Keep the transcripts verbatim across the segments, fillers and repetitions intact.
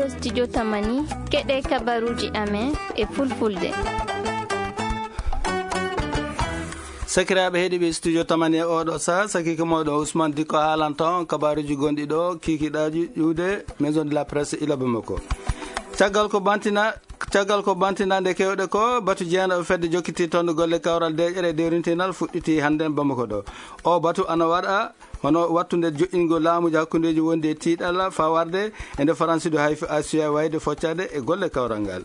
Studio Tamani, keɗe kabaruji amen e fulfulde. Sakiraaɓe heɗiiɓe Studio Tamani e oɗo saha, sakiike mooɗon Ousmane Dikko haalanta on kabaruji gonɗi ɗo, kikiɗaaji ƴuwde Maison de la Presse ila Bamako. Caggal ko bantina, caggal ko bantinande kewɗe ko, batu jeenaɓe fedde jokkiti toon golle kawral deeƴere e dewrintinal fuɗɗiti hannden Bamako ɗo. O batu ana waɗa hono wattunde joƴƴingol laamuuji hakkundeeji wondi e tiiɗalla faa warde e nde Faransi ɗo hayfi Asiya wayde foccaade e golle kawral ngal.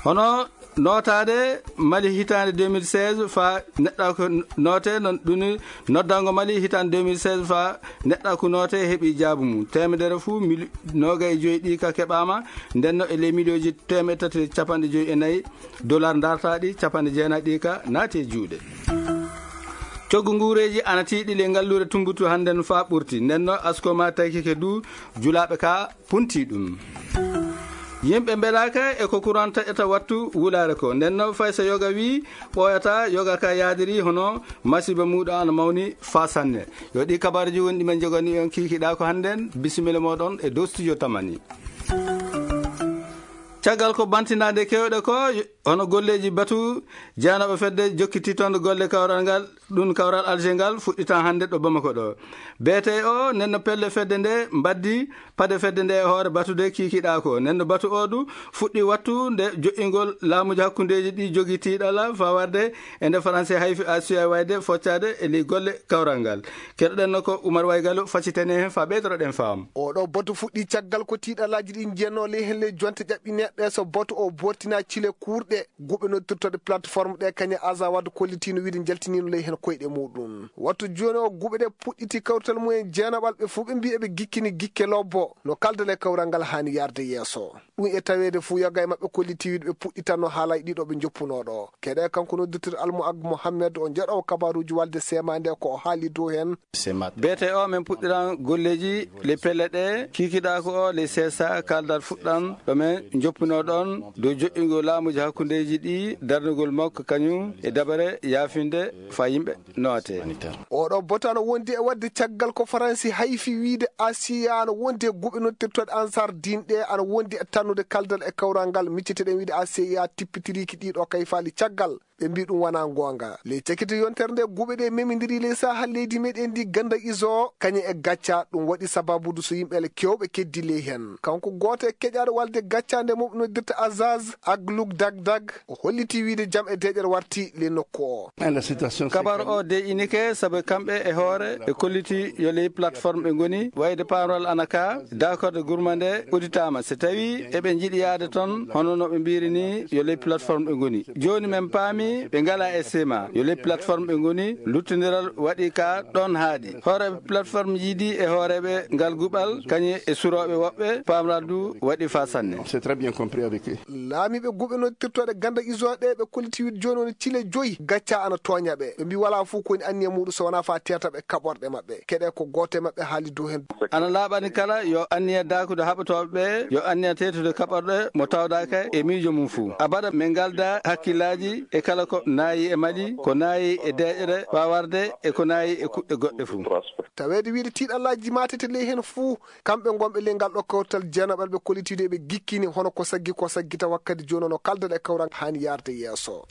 Hono nootaade Mali hitaande deux mille seize faa neɗɗaaku noote, non ɗum noddango Mali hitaande deux mille seize faa neɗɗaaku noote heɓi jaabu mum. Teemedere fuu mil-, noogay e joyi ɗi ka keɓaama, ndenno e ley miliyooji teemeɗɗe tati e capanɗe joyi e nayi dollar ndartaaɗi, capanɗe jeenayi ɗi ka naati e juuɗe. Coggu nguureeji ana tiiɗi ley ngalluure Tumbutu hannden faa ɓurti. Ndenno askoma taykike du julaaɓe ka punti ɗum. Yimɓe mbelaaka e ko kuran taƴata wattu wulaare ko. Ndenno fay so yoga wii ɓooyata, yoga ka yaadiri hono masiiba muuɗum ana mawni faa sanne. Yo ɗi kabaruji woni ɗi men jogani on kikiɗaa ko hannden. Bisimilla mooɗon e dow Studio Tamani. Caggal ko bantinaade kewɗe ko, hono golleeji batu jeenaɓe fedde jokkiti toon golle kawral ngal, ɗum kawral Alger ngal fuɗɗitan hannde ɗo Bamako ɗo. B T O nenno pelle fedde nde mbaddi paɗe fedde nde e hoore batude kikiɗaa ko. Nenno batu o du fuɗɗi wattu nde joƴƴingol laamuuji hakkundeeji ɗi jogi tiiɗalla faa warde e nde Faransi hayfi Asiya wayde foccaade e ley golle kawral ngal. Keɗoɗen no ko Umar Waygalu facitene heen faa ɓeydotoɗen faam. Oɗo batu fuɗɗi caggal ko tiiɗallaaji ɗi njenno ley heen ley jonte ƴaɓɓineɗɗe so batu o bortina cile kuurɗe guɓe noddirtoɗe plateforme ɗe kañe Azawad kollitino wiide njaltinino ley heen koyɗe muɗum. Wattu jooni o guɓe ɗe puɗɗiti kawrital mumen jeenaɓal ɓe fof ɓe mbi eɓe gikkini gikke lobbo no kaldal e kawral ngal haani yarde yeeso. Ɗum e taweede fuu yoga e maɓɓe kolliti wiide ɓe puɗɗitanno haalaaji ɗiɗo ɓe njoppunoo ɗo. Keɗe kanko noddirtiri Almu Ag Mohammed o jeɗowo kabaruuji walde sema nde ko o haali dow heen. B T O men puɗɗiran golleeji ley pelle ɗe kikiɗaa ko o ley C S A kaldal fuɗɗan ɗo men njoppunoo ɗon dow joƴƴingol laamuuji hakkundeeji ɗi darnugol makko kañum e dabare yaafinde faa yimɓe noote. Oɗo batu ana wondi e waɗde caggal ko Faransi hayfi wiide Asiya ana wondi e guɓe noddirtoɗe Ansar Din ɗe ana wondi e tannude kaldal e kawral ngal micceteɗen wiide Asiya tippitiriiki ɗiɗo kayfaali caggal. Ɓe mbi ɗum wonaa goonga. Ley cakite yontere nde guɓe ɗe memindiri ley saha leydi meɗen ndi ganda iso kañum e gacca ɗum waɗi sababudu so yimɓe ele kewɓe keddi ley heen. Kanko gooto e keƴaaɗo walde gacca nde mo noddirta Azaz Agluk Dagdag o holliti wiide jam e deeƴere warti ley nokku o. Kabar o deƴinike sabu kamɓe e hoore ɓe kolliti yo ley plateforme ɓe ngoni wayde paaral ana ka dakorde gurma nde udditaama so tawi eɓe njiɗi yaade toon hono no ɓe mbiri ni yo ley plateforme ɓe ngoni. Jooni men paami ɓe ngala e sema yo ley plateforme ɓe ngoni luttondiral waɗi ka ɗon haaɗi. Hooreeɓe plateforme jiidi e hooreeɓe ngal guɓal kañum e surooɓe woɓɓe paamral du waɗi faa sanne. Laamiiɓe guɓe noddirtooɗe ganda iso ɗe ɓe kolliti wiide jooni woni cile joyi gacca ana tooña ɓe. Ɓe mbi wala fof ko woni anniya muɗum so wona faa teeta ɓe kaɓorɗe maɓɓe. Keɗe ko gooto e maɓɓe haali dow heen. Ana laaɓani kala yo anniya daakude haɓotooɓe ɓe yo anniya teetude kaɓorɗe mo tawdaaka e miijo mum fof. Abada min ngalda hakkillaaji e kala ko naayi e Mali, ko naayi e deeƴere faa warde e ko naayi e kuɗɗe goɗɗe fof. Taweede wiide tiiɗallaaji maatete ley heen fof, kamɓe ngonɓe ley ngal ɗo kawtal jeenaɓal ɓe kollitiiɗo eɓe gikkini hono ko saggi ko saggita wakkati jooni no kaldal e kawral haani yaarde yeeso.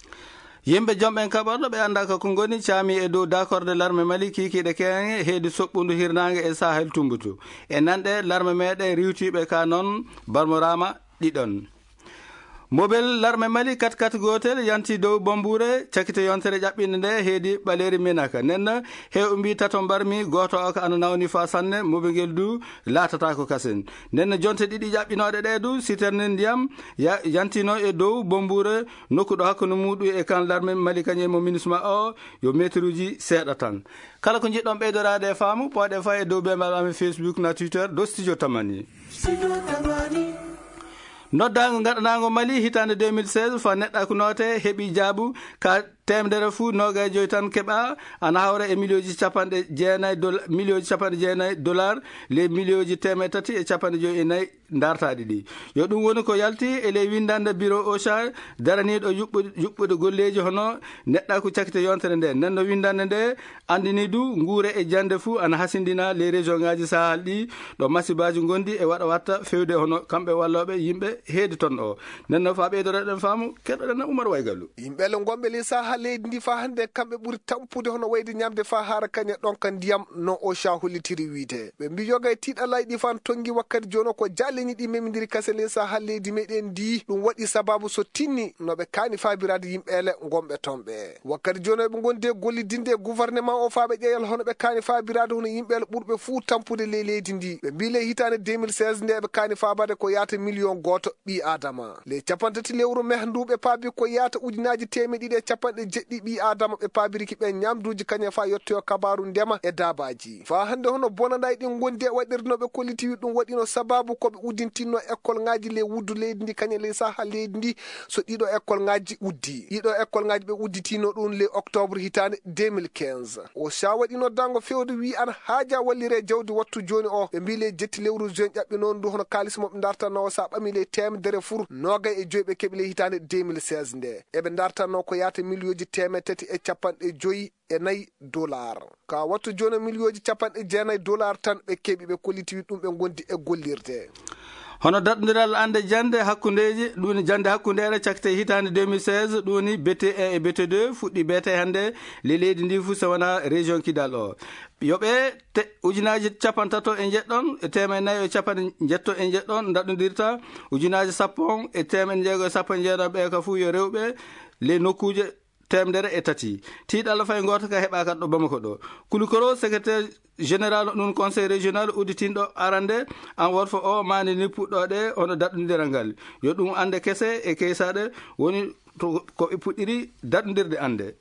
Yimɓe jom ɓen kaɓorɗo ɓe anndaa ko ngoni caami e dow dakorde larme Mali kiikiiɗe keeŋe heedi soɓɓundu hirnaange e Sahel Tumbutu. E nanɗe larme meɗen riiwtiiɓe ka noon barmoraama ɗiɗon. Mobel larme Mali kat kat gootel yanti dow Bombure cakite yontere ƴaɓɓinde nde heedi ɓaleeri Menaka. Nden he o mbi tato mbarmi gooto o ko ana nawni faa sanne, mobel ngel du laatataako kasen. Nden jonte ɗiɗi ƴaɓɓinooɗe ɗe du siterne ndiyam ya-, yantino e dow Bombure nokku ɗo hakkunde muɗum e kan larme Mali kañum e mo minisma o yo meteruuji seeɗa tan. Kala ko njiɗɗon ɓeydoraade e faamu, pooɗe faa e dow bembal amen Facebook na Twitter dow Studio Tamani. Noddaango ngaɗanaango Mali hitaande deux mille seize faa neɗɗaaku noote heɓi jaabu ka teemedere fuu noogay joy tan keɓa, ana hawra e miliyooji capanɗe jeenay dol-, miliyooji capanɗe jeenay dollar, ley miliyooji teemedde tati e capanɗe joy e nayi ndartaaɗi ɗi. Yo ɗum woni ko yalti e ley winndannde biro OSHA daraniiɗo yuɓɓude, yuɓɓude golleeji hono neɗɗaaku cakite yontere nde. Nden no winndannde nde anndini du nguure e jannde fuu ana hasindina ley région ngaaji Sahel ɗi, ɗo masibaaji ngondi e waɗa watta fewde hono kamɓe wallooɓe yimɓe heedi ton o. Nden no faa ɓeydoreɗen faamu, keɗoɗen na Umar Waygalu. Yimɓe le ngonɓe ley Sahel leydi ndi faa hannde kamɓe ɓuri tampude hono wayde ñamde faa haara kañe ɗonka ndiyam no OSHA hollitiri wiide. Ɓe mbi yoga e tiiɗalaaji ɗi faa tongi wakkati jooni o ko jaalleeji ɗi memindiri kase ley Sahel leydi meɗen ndi. Ɗum waɗi sababu so tinni no ɓe kaani faabiraade yimɓe le ngonɓe ton ɓe. Wakkati jooni o ɓe ngondi e gollidinde e gouvernement o faa ɓe ƴeeyal hono ɓe kaani faabiraade hono yimɓe le ɓurɓe fuu tampude ley leydi ndi. Ɓe mbi ley hitaande deux mille seize nde ɓe kaani faabaade ko yaata miliyon gooto ɓii Aadama. Ley capanɗe tati lewru meh ndu ɓe paabi ko yaata ujunaaji teemeɗe ɗiɗi e capanɗe jeɗɗi ɓii Aadama ɓe paabiriki ɓe ñamduuji kañe faa yottoyo kabaaru ndema e daabaaji. Faa hannde hono bonanɗaaji ɗi ngondi e waɗirde no ɓe kolliti wi ɗum waɗino sababu ko ɓe uddintinno école ngaaji ley wuddu leydi ndi kañe ley Sahel leydi ndi. So ɗiɗo école ngaaji uddi. Ɗiɗo école ngaaji ɓe udditino ɗum ley octobre hitaande deux mille quinze. OSHA waɗi noddaango fewde wi ana haaja wallire jawdi wattu jooni o. Ɓe mbi ley jetti lewru juin ƴaɓɓi noon ndu hono kaalis mo ɓe ndartanno o sa ɓami ley teemedere fur noogay e joy ɓe keɓi ley hitaande deux mille seize nde. Eɓe ndartanno ko yaata miliyooji teemedde tati e capanɗe joy e nayi dollar. Ka wattu jooni miliyooji capanɗe jeenayi dollar tan ɓe keɓi ɓe kolliti wi ɗum ɓe ngondi e gollirde. Hono daɗɗondiral annde jannde hakkundeeji, ɗum woni jannde hakkundeere cakte hitaande deux mille seize, ɗum woni B T un e B T deux fuɗɗi beete hannde ley leydi ndi fuu so wonaa région Kidal o. Yo ɓe te-, ujunaaji capanɗe tato e njeɗɗon, e teemedde nayi e capanɗe njetto e njeɗɗon daɗɗondirta, ujunaaji sappo on e teemedde jeego e sappo e njeeɗon ɓe ka fuu yo rewɓe ley nokkuuje teemedere e tati. Tiiɗalla fay gooto ka heɓaaka ɗo Bamako ɗo. Kulu Koro, secrétaire général ɗum conseil régional udditinɗo arande an worfo o maani ni puɗɗoɗe hono daɗɗondiral ngal. Yo ɗum annde kese e keysaɗe woni to ko ɓe puɗɗiri daɗɗondirde annde.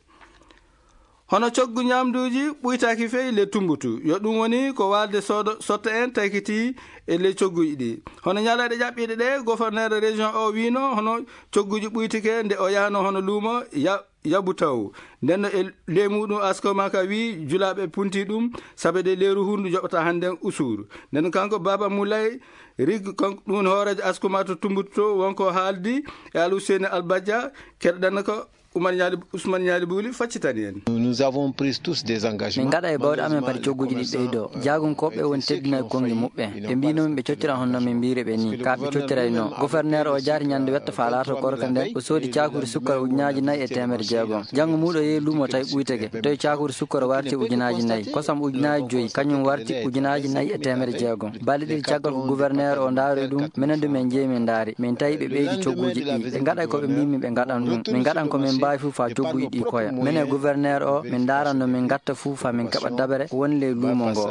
Hono coggu ñamduuji ɓuytaaki fey le Tumbutu. Yo ɗum woni ko waalde soodo sotta en taykiti e le cogguji ɗi. Hono ñalaaɗe ƴaɓɓiiɗe ɗe, gouverneur région o wiino hono cogguji ɓuytike nde o yahno hono luumo ya-, yabu taw. Nden no e le muɗum Askoma ka wi julaaɓe punti ɗum, sabe de leeru hundu joɓata hannde usuru. Nden kanko Baba Mulay Rig, kanko ɗum hooreejo Askoma to Tumbutu to wonko haaldi e Al Hussein Al Badja, keɗoɗen ko Oumar Niali, Ousmane Niali Bouli faccitani en. Nous avons pris tous des engagements. Min ngaɗa e bawɗe amen pati cogguji ɗi ɓeydo. Jaagunkooɓe woni teddinay konngi muɓɓen. Ɓe mbino min ɓe coccira honno min mbiri ɓe ni. Ka ɓe coccirayno. Gouverneur o jaari ñande wetta fa laato korka nden. O soodi cakuri sukkar ujunaaji nayi e teemedde jeegom. Janngo muuɗo yehi luumo tawi ɓuyteke. Tawi cakuri sukkar warti ujunaaji nayi. Kosam ujunaaji joyi, kañum warti ujunaaji nayi e teemedde jeegom. Balɗe ɗiɗi caggal ko gouverneur o ndaari ɗum, minen du min jehi min ndaari. Min tawi ɓe ɓeydi cogguuji ɗi. Ɓe ngaɗay ko ɓe mbii min ɓe ngaɗan ɗum. Min ngaɗan ko min mbaawi fof faa cogguuji ɗi koya. Minen gouverneur o, min ndaaran no min ngatta fof faa min keɓa dabere ko woni ley luumo ngo.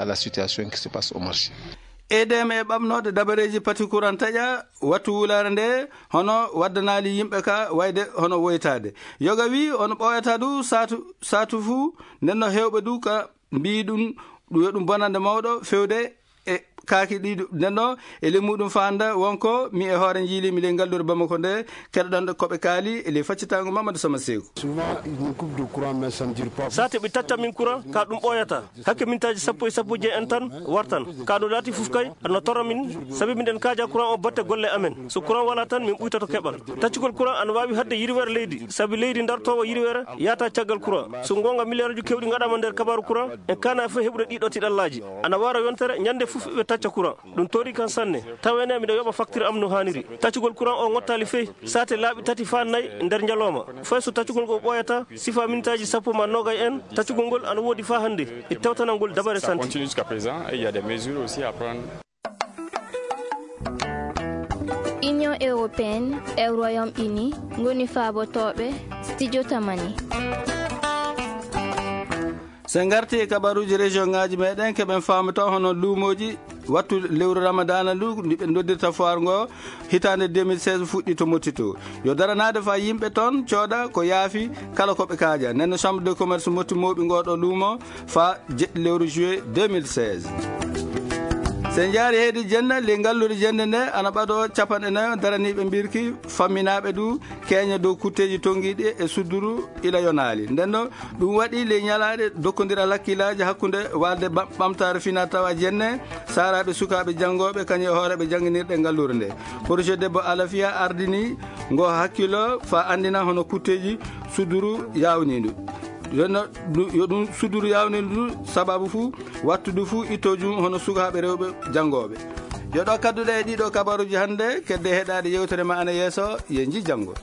E D M e ɓamnoode dabareeji pati kuran taƴa wattu wulaare nde, hono waddanaali yimɓe ka wayde hono woytaade. Yoga wi, on ɓooyata du saatu, saatu fuu, nden no heewɓe du ka mbii ɗum, ɗum yo ɗum bonande mawɗo fewde e kaaki ɗi du-, nden no e le muɗum faanda wonko mi e hoore njiili mi le ngalluure Bamako nde, keɗoɗon ko ɓe kaali e le faccitaango Mamadou Sama Seeku. Souvent, ils nous coupent de courant, mais ça ne dure pas. Saate ɓe tacca min courant, ka ɗum ɓooyata. Hakke mintaaji sappo e sappo jeeɗi en tan wartan. Ka ɗo laati fof kay, ana torra min, sabi miɗen kaaja courant o batte golle amen. So courant wala tan, min ɓuytoto keɓal. Taccugol courant ana waawi haɗde yirwere leydi, sabi leydi dartoowo yirwere yahata caggal courant. So goonga, miliyaaruuji keewɗi ngaɗaama nder kabaaru courant, en kaana fof heɓude ɗiɗo tiɗallaaji. Ana wara yontere, ñande fof ɓe tacca courant. Ɗum tori kan sanne. Tawa ene miɗo yoɓa facture am no haaniri. Taccugol courant o ngottaali fey. Saate laaɓi tati faa nayi nder njalooma. Fay so taccugol ngol ɓooyata, sifa mintaaji sappo ma noogay en, taccugol ngol ana woodi faa hannde. E tawtanal ngol dabare santé. Ça continue jusqu'à présent et il y a des mesures aussi à prendre. Union européenne e Royaume-Uni ngoni faabotooɓe Studio Tamani. So en ngarti e kabaruuji région ngaaji meɗen, keɓen faamata hono luumooji wattu lewru Ramadana ndu, ndi ɓe noddirta foire ngo hitaande deux mille seize fuɗɗi to Motti to. Yo daranaade faa yimɓe toon cooda ko yaafi kala ko ɓe kaaja. Nden no Chambre de Commerce Motti mooɓi ngoo ɗo luumo faa jeɗɗi lewru juillet deux mille seize. Sen jaari heydi jenne, ley ngalluure jenne nde ana ɓadoo capanɗe nayo daraniiɓe mbirki, famminaaɓe du keeña dow kutteeji tonngiiɗi e sudduru ila yonaali. Nden no ɗum waɗi ley ñalaaɗe dokkondira lakkilaaji hakkunde waalde ba-, ɓamtaare finaa tawa jenne, saaraaɓe sukaaɓe janngooɓe kañum e hooreeɓe jannginirɗe ngalluure nde. Projet debbo Alafiya ardini ngo hakkilo fa anndina hono kutteeji sudduru yaawniindu. Yo no-, du-, yo ɗum sudduru yaawniindu sababu fuu wattudu fuu ittoojum hono sukaaɓe rewɓe janngooɓe. Yo ɗo kadduɗe e ɗiɗo kabaruuji hannde, kedde heɗaade yewtere ma ana yeeso, ye nji janngo.